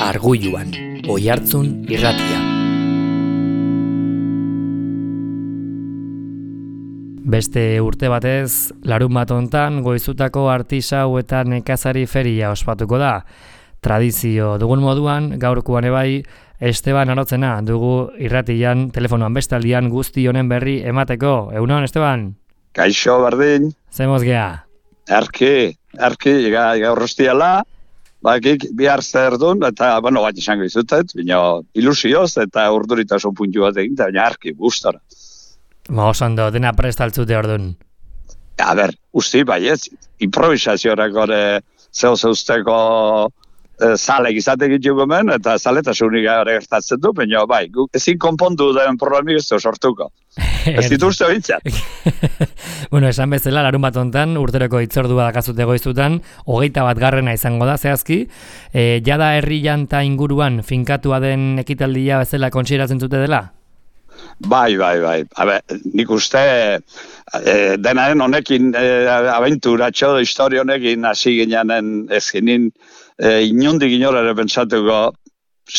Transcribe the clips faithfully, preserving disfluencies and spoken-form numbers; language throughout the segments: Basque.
Argulluan, Oihartzun irratia. Beste urte batez, larun bat hontan goizutako artisau eta nekazari feria ospatuko da. Tradizio dugun moduan, gaurkoan ebai, Esteban Arotzena dugu irratian, telefonoan bestaldian guzti honen berri emateko. Egunon, Esteban? Kaixo, berdin. Zemoz gea? Erki, erki, gaur hostiala. Bakik, bihar zer duen, eta, bueno, bat izango izutet, baina ilusioz eta urduritasun puntu bat egin, baina arki, gustora. Ma osando, dena prestaltzute orduan. A ber, usti, bai ez, improvisaziorak ore zeu zeuzteko e, zalek izatek itxuko men, eta zaletasunik gara gertatzen du, baina bai, guk ezin konpondu den problemik ez du sortuko. Ez dituzte bintzat. Bueno, esan bezala, larun bat hontan, urteroko itzordua dakazute goizutan, hogeita bat garrena izango da, zehazki. E, jada herri janta inguruan finkatua den ekitaldia bezala kontsideratzen zute dela? Bai, bai, bai. Habe, nik uste e, denaren honekin e, abenturatxo, historia honekin hasi gineanen ez ginen e, inondik inorare pentsatuko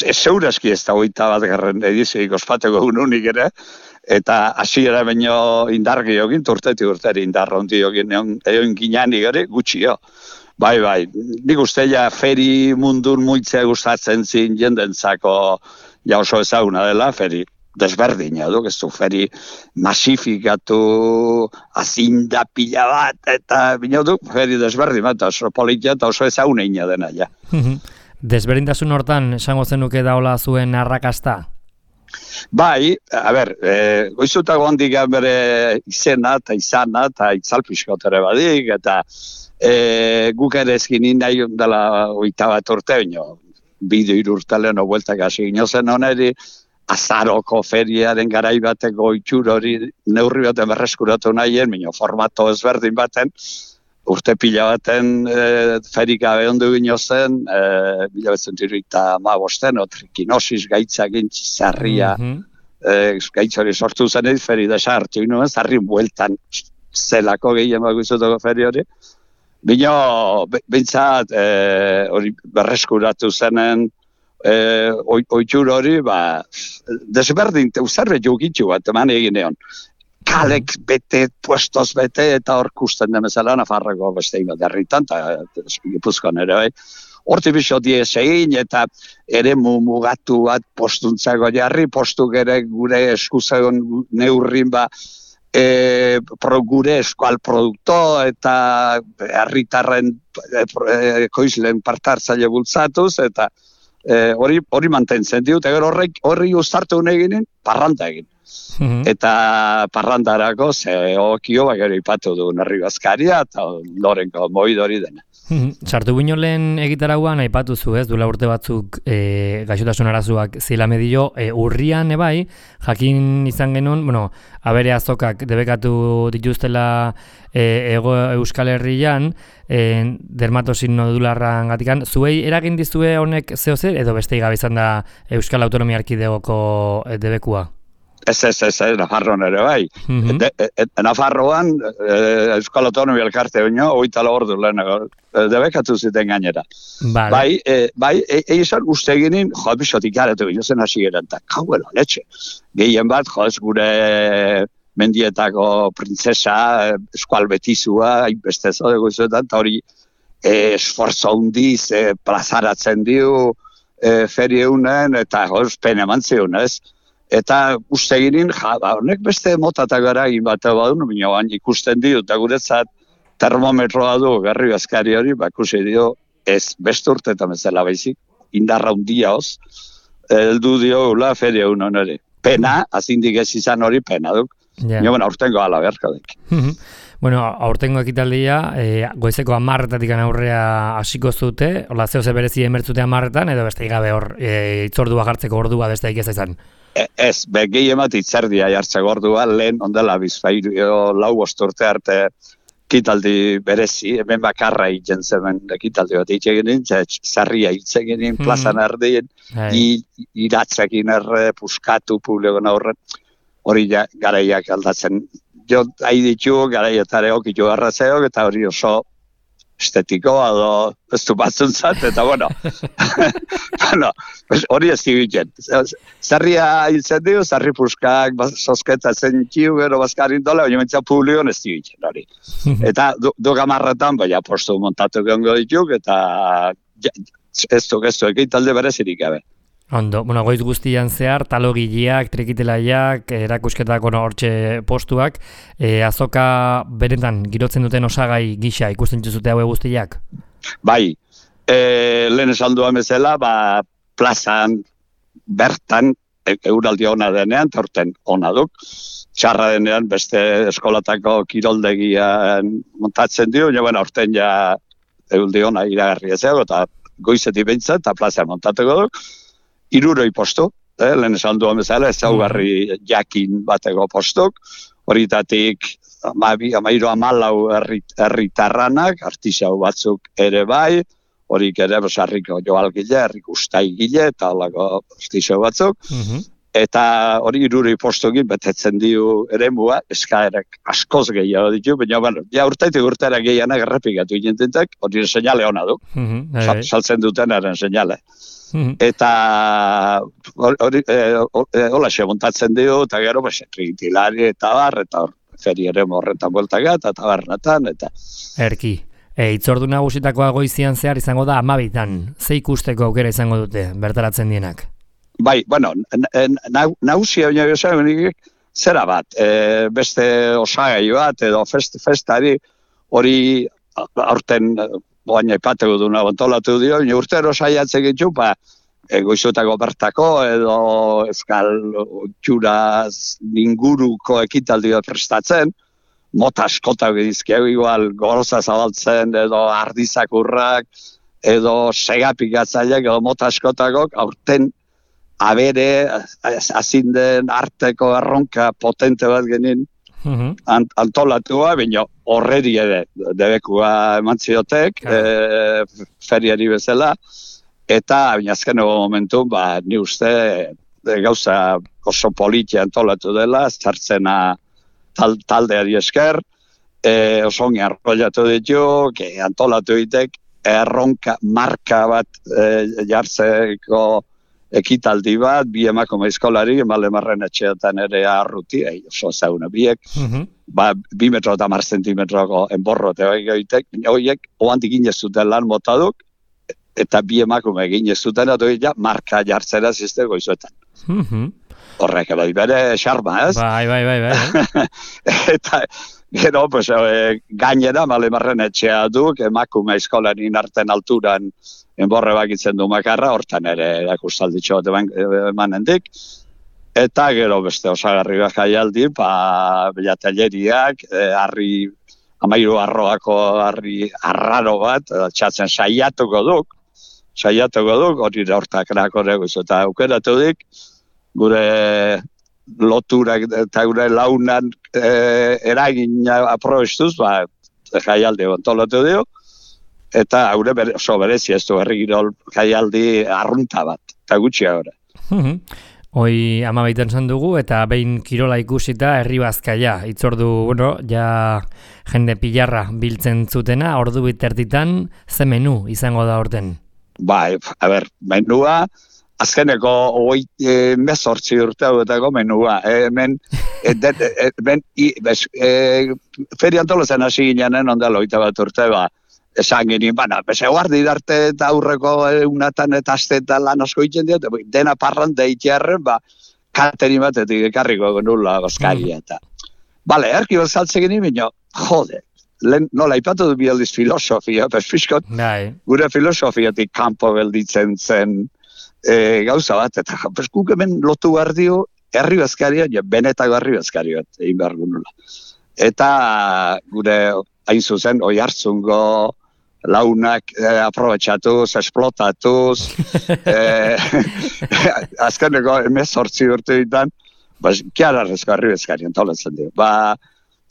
ez zeurazki ez da hogeita bat garren edizioik ospatuko ununik ere, eta hasiera baino indargi egin, urteti urteri indarra hondi egin egon ginean igari gutxio. Bai, bai, nik uste ja feri mundun muitzea gustatzen zin jendentzako ja oso ezaguna dela, feri desberdina du, ez du feri masifikatu azinda pila bat, eta bina du feri desberdin bat, oso politia eta oso ezaguneina dena ja. Desberdintasun hortan, esango zenuke daola zuen arrakasta? Bai, a ber, e, goizutako handik bere izena eta izana eta itzalpiskotere badik, eta e, guk ere ezkinin nahi dela oita bat urte, baino, bideo irurtalen obueltak hasi ginozen oneri, azaroko feriaren garai bateko itxur hori neurri baten berreskuratu nahien, baino formato ezberdin baten, urte pila baten e, ferika behondu gino zen, e, mila betzen dirita ma bosten, otrikinosis gaitzak intzizarria, mm-hmm. e, gaitz hori sortu zen edit, feri desa hartu inoen, zarrin bueltan zelako gehien baguzutoko feri hori. Bino, bintzat, e, hori berreskuratu zenen, e, oitxur hori, ba, desberdin, zerbait jokitxu bat, eman egin egon. Kalek bete, puestos bete, eta hor kusten demezela Nafarroko beste bat herritan, eta Gipuzkoan ere bai. Horti biso diez egin, eta ere mugatu bat postuntzako jarri, postuk ere gure eskuzagon neurrin ba, e, pro, gure eskual produkto, eta herritarren e, koizlen partartzaile bultzatuz, eta e, hori, hori mantentzen diut, eta horrek horri uztartu eginen, parranta egin. Mm-hmm. Eta parrandarako ze okio bagero ipatu du Nerri Bazkaria eta Lorenko moidori dena. Mm-hmm. Sartu bino lehen egitarauan aipatu zu, ez, duela urte batzuk e, gaixotasun arazuak zila medio, e, urrian ebai, jakin izan genuen, bueno, abere azokak debekatu dituztela e, ego Euskal Herrian, e, dermatosin nodularran gatikan, zuei eragin dizue honek zehozer, edo beste gabe izan da Euskal Autonomia Erkidegoko e, debekua? Ez, ez, ez, ez, Nafarroan ere bai. Mm-hmm. De, e, Nafarroan, e, Euskal Autonomia Elkarte baino, oita ordu lehenago, debekatu ziten gainera. Vale. Bai, e, bai, egizan e, uste ginen, jo, bisotik garetu gino zen hasi geren, eta kauela, letxe. Gehien bat, jo, ez gure mendietako printzesa, eskual betizua, hainbeste zodeko izuetan, eta hori e, esforzo hundiz, e, plazaratzen dio, e, feri eunen, eta jo, pene eman zion, ez? Eta uste ginen, ja, ba, honek beste motatak gara egin bat badun, baina ikusten dio, eta guretzat termometroa du, Gerri Bazkari hori, ba, ikusi dio, ez beste urteetan bezala baizik, indarra hundia hoz, heldu dio ula feria unon hori. Pena, azindik ez izan hori, pena duk. Yeah. Nio, bueno, aurtengo ala beharko dek. Bueno, aurtengo ekitaldia, e, goizeko amarretatik aurrea hasiko zute, hola zeo ze berezi emertzute amarretan, edo beste gabe hor, e, itzordua jartzeko ordua beste ez izan. Ez, begei emat itzerdia jartzeko ordua, lehen ondela bizpairu lau osturte arte kitaldi berezi, hemen bakarra hitzen zemen kitaldi bat hitz zarria hitz egin, hmm. plazan erdien, hey. iratzekin erre, puskatu publikon aurren, hori ja, garaiak aldatzen. Jo, hain ditu, garaietare okitu arrazeok, eta hori oso estetikoa edo ez du batzuntzat, eta bueno, bueno, hori ez digiten. Zerria hiltzen dio, zerri puskak, sosketatzen txiu, gero bazkarin dola, baina mentzia publikoan ez digiten hori. Eta du, du gamarretan, baina postu montatu gongo dituk, eta ja, ez du, ez du, egin talde berezirik gabe. Ondo, bueno, goiz guztian zehar, talogileak, trikitelaiak, erakusketako no, hortxe postuak, e, azoka beretan girotzen duten osagai gisa ikusten zute haue guztiak? Bai, e, lehen esan duan bezala, ba, plazan, bertan, e, euraldi ona denean, torten ona duk, txarra denean beste eskolatako kiroldegian montatzen dio, ja, bueno, orten ja euraldi ona iragarri ezago, eta goizetik behintzen, eta plaza montatuko duk, iruroi postu, eh, lehen esan duan bezala, ez zaugarri jakin bateko postuk, horitatik amabi, amairu amalau herritarranak, artisau batzuk ere bai, horik ere harriko joalgile, harriko ustaigile, eta holako artisau batzuk, mm-hmm. Eta hori iruroi postukin betetzen dio eremua, eskaerak askoz gehiago ditu, baina bueno, ja urtaitik urtera gehianak errepikatu gintentak, hori seinale hona du, mm-hmm. saltzen duten eren seinale. Mm-hmm. Eta hori hola xe montatzen dio, eta gero trikitilari eta bar, eta hor, feri ere morretan bueltagat, eta tabarnatan, eta... Erki, e, itzordu nagusitakoa goizian zehar izango da amabitan, ze ikusteko aukera izango dute, bertaratzen dienak? Bai, bueno, nagusia baina gizaren zera bat, e, beste osagai bat, edo fest, festari hori aurten baina ipateko duna antolatu dio, baina urtero saiatzen gitu, ba, e, goizutako bertako, edo euskal txuraz inguruko ekitaldi bat prestatzen, mota askotak edizkeu igual, goroza zabaltzen, edo ardizakurrak, edo segapikatzaileak, edo mota askotakok, aurten abere, azinden arteko erronka potente bat genin mm-hmm. ant, antolatua, baina horreri ere debekua eman ziotek, e, feriari bezala, eta baina azkeneko momentu, ba, ni uste e, gauza oso politia antolatu dela, zartzena tal, taldeari esker, e, oso ongi arrollatu ditu, que antolatu ditek, erronka marka bat e, jartzeko ekitaldi bat, bi emakume eskolari, emalemarren etxeetan ere arruti, ei, oso zauna biek, mm-hmm. ba, bi metro eta mar zentimetroko enborro eta egitek, horiek, oantik inezuten lan motaduk, eta bi emakume ginezuten, eta ja, marka jartzera zizte goizuetan. Mm-hmm. Horrek, bai, bere xarma, ez? Bai, bai, bai, bai. Eta, gero, pues, e, gainera, malemarren etxea duk, emakume eskolarin arten alturan, enborre bakitzen du makarra, hortan ere erakustalditxo bat emanendik. Eta gero beste osagarri bat jaialdi, ba, belatelleriak, e, harri, amairu arroako harri arraro bat, txatzen saiatuko duk, saiatuko duk, hori hortak erakoreko izo, eta aukeratu dik, gure loturak eta gure launan e, eragin aprobestuz, ba, jaialdi antolatu dio, eta haure bere, oso berezi ez du herrigirol jaialdi arrunta bat, eta gutxi ahora. Hoi amabaiten zan dugu, eta behin kirola ikusita herri bazkaia. Itzordu, bueno, ja jende pilarra biltzen zutena, ordu bitertitan, ze menu izango da orten? Bai, a ber, menua, azkeneko hoi e, mezortzi urte hauetako menua. E, hemen, e, de, e, ben, i, bez, e, feri antolazen hasi ginean, ondala oita bat urte, ba, esan genien, baina, beze guardi darte eta aurreko egunatan eta astetan lan asko itzen dut, dena parran deitearren, ba, kateri batetik ekarriko genula bazkaria eta. Bale, erki bat saltze genien, baina, jode, len, nola, ipatu du bialdiz filosofia, bez fiskot, gure filosofiatik kanpo gelditzen zen e, gauza bat, eta bez guk hemen lotu behar dio, herri bazkaria, ja, benetako herri bazkaria bat, egin behar genula. Eta gure, hain zuzen, oi hartzungo, launak eh, aprobetxatuz, esplotatuz, eh, azkeneko emezortzi urte ditan, ba, kiararrezko herri bezkari antolatzen dio. Ba,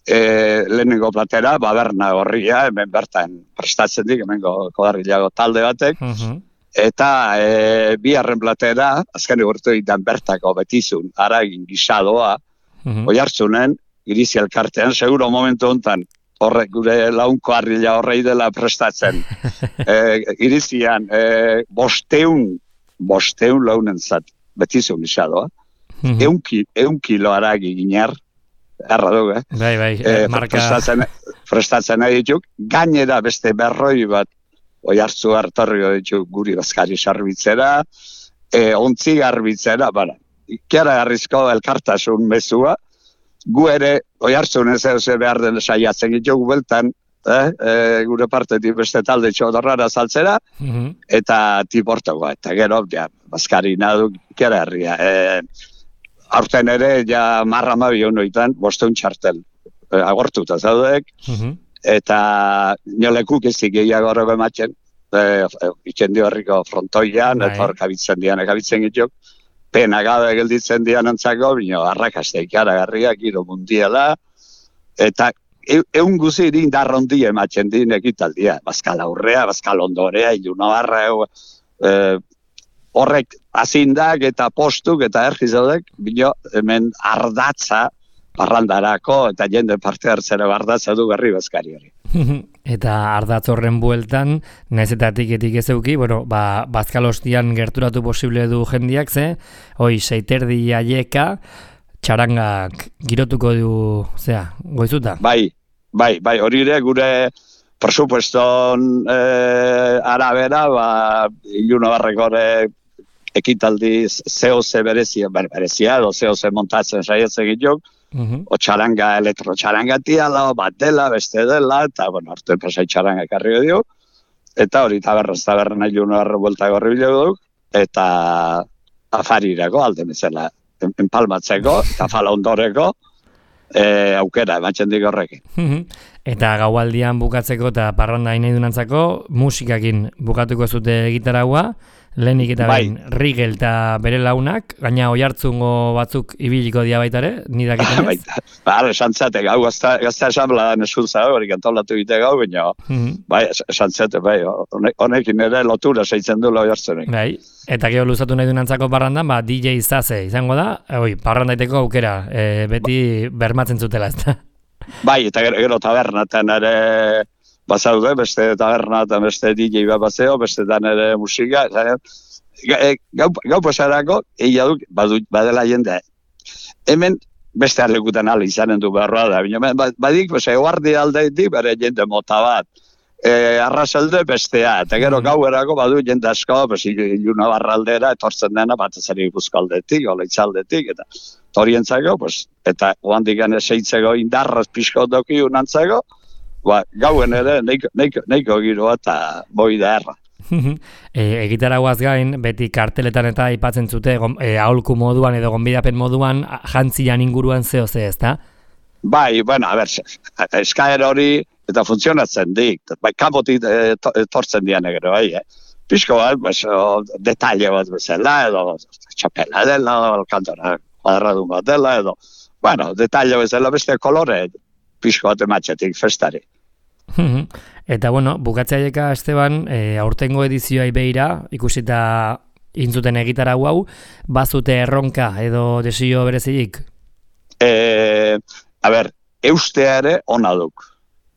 eh, lehenengo platera, ba, berna horria, hemen bertan prestatzen dik, hemen kodarrilago talde batek, uh-huh. Eta eh, biharren platera, azkeneko urte ditan bertako betizun, aragin gisadoa, uh-huh. Oi hartzunen, irizi elkartean, seguro momentu honetan, horrek gure launko harrila horrei dela prestatzen. e, irizian, e, bosteun, bosteun launen zat, beti zuen isadoa. Mm-hmm. eun, ki, eun kilo aragi ginear, erra dugu, eh? Bai, bai, e, marka... Prestatzen, prestatzen nahi dituk, gainera beste berroi bat, oi hartzu hartarrio dituk guri bazkari sarbitzera, e, ontzi garbitzera, bara, ikera garrizko elkartasun mezua, gu ere, oi hartzun ez ez behar den saiatzen ditugu beltan, eh? e, gure partetik beste talde txodorrara saltzera, mm-hmm. eta tiportagoa, eta gero, ja, bazkari naduk ikera herria. E, aurten ere, ja, marra mabi honoitan, bosteun txartel, e, agortuta zaudek, mm-hmm. eta nolekuk ezik gehiago horrego ematen, e, e, ikendi horriko frontoian, eta hor kabitzen dian, kabitzen gituk, pena gabe gelditzen dian antzako, bino, arrakaste ikaragarria, giro mundiala, eta egun guzi irin darrondi ematen din ekitaldia, bazkal aurrea, bazkal ondorea, iluna barra, e, horrek azindak eta postuk eta ergizaudek, bino, hemen ardatza parrandarako eta jende parte hartzera ardatza du berri bazkari hori. Eta ardatz horren bueltan, naiz eta etiketik ez euki, bueno, ba, bazkalostian gerturatu posible du jendiak, ze, hoi, seiterdi aieka, txarangak girotuko du, zea, goizuta? Bai, bai, bai, hori ere gure presupueston eh, arabera, ba, iluna barrekore ekitaldi zeo-ze berezia, berezia, edo zeo-ze montatzen saiatzen gituk, uh-huh. o txaranga, elektro-txaranga tiala, bat dela, beste dela, eta, bueno, hartu enpresai txaranga ekarri dio, eta hori taberraz taberna iluna barre buelta gorri bilegu duk, eta afarirako alde bezala, empalmatzeko, eta fala ondoreko, e, aukera, ematzen dik horrekin. Uh-huh. Eta gaualdian bukatzeko eta parranda nahi dunantzako, musikakin bukatuko zute gitaragua, lehenik eta bai. behin Rigel eta bere launak, gaina oihartzungo batzuk ibiliko dia baitare, nidakiten ez? Baita, ba, esantzate, gau, gazta esambla nesutza, hori kantolatu bite gau, baina, mm-hmm. bai, esantzate, bai, honekin ere lotura seitzen du oihartzunek. Bai, eta gero luzatu nahi dunantzako parrandan, ba, D J Zaze izango da, oi, parrandaiteko aukera, e, beti bermatzen zutela, ez da? Bai, eta gero, gero tabernatan ere bazaude, beste taberna eta beste D J bat bazeo, beste dan ere musika, gau, gau pasarako, egia duk, badela jende. Hemen beste alekutan ala izanen du beharroa da, bina, badik, eguardi aldeitik, bere jende mota bat, e, arrasalde bestea, eta gero gau erako badu jende asko, iluna barraldera, etortzen dena, bat ezari buzkaldetik, ola itzaldetik, eta horientzako, eta oandik gane seitzeko indarraz pixko doki unantzako, ba, gauen ere, neiko, neiko, neiko giroa eta boi da erra. e, Egitaragoaz gain, beti karteletan eta aipatzen zute, e, aholku moduan edo gonbidapen moduan, jantzian inguruan zeo ze, ezta? Bai, bueno, a ber, eskaera hori eta funtzionatzen dik, bai, kanpotik etortzen dian egero, bai, eh? Pixko bat, pues, o, detalle bat bezala, edo txapela dela, kantora kuadradun bat dela, edo, bueno, detalle bezala beste kolore, pixko bat ematxetik festari. Eta bueno, bukatzaieka Esteban, e, aurtengo edizioa beira, ikusita intzuten egitarau hau, bazute erronka edo desio berezilik? E, a ber, eustea ere ona duk.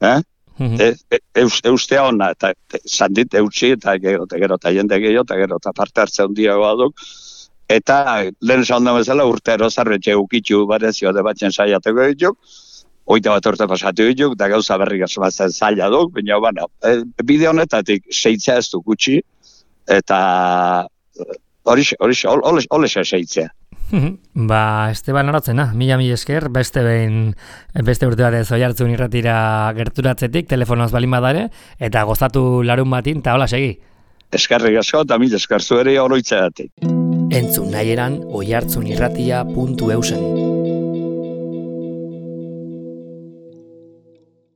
Eh? e, e, eus, eustea ona, eta sandit eutxi, eta gero, eta gero, eta jende gehiago, eta gero, eta parte hartze hundiagoa duk. Eta lehen esan da bezala urtero zarbetxe ukitxu barezio de batzen saiateko dituk, oita bat urte pasatu dituk, eta gauza berrik asomatzen zaila duk, baina, bueno, e, bide honetatik seitzea ez du gutxi, eta horixe, horixe, horixe seitzea. Ba, Esteban Arotzena, mila mila esker, beste behin, beste urte batez oihartzun irratira gerturatzetik, telefonoz balin badare, eta gozatu larun batin, eta hola segi. Eskerrik asko, eta mila esker zuere oroitzeatik. Entzun nahieran oihartzun irratia puntu eusen.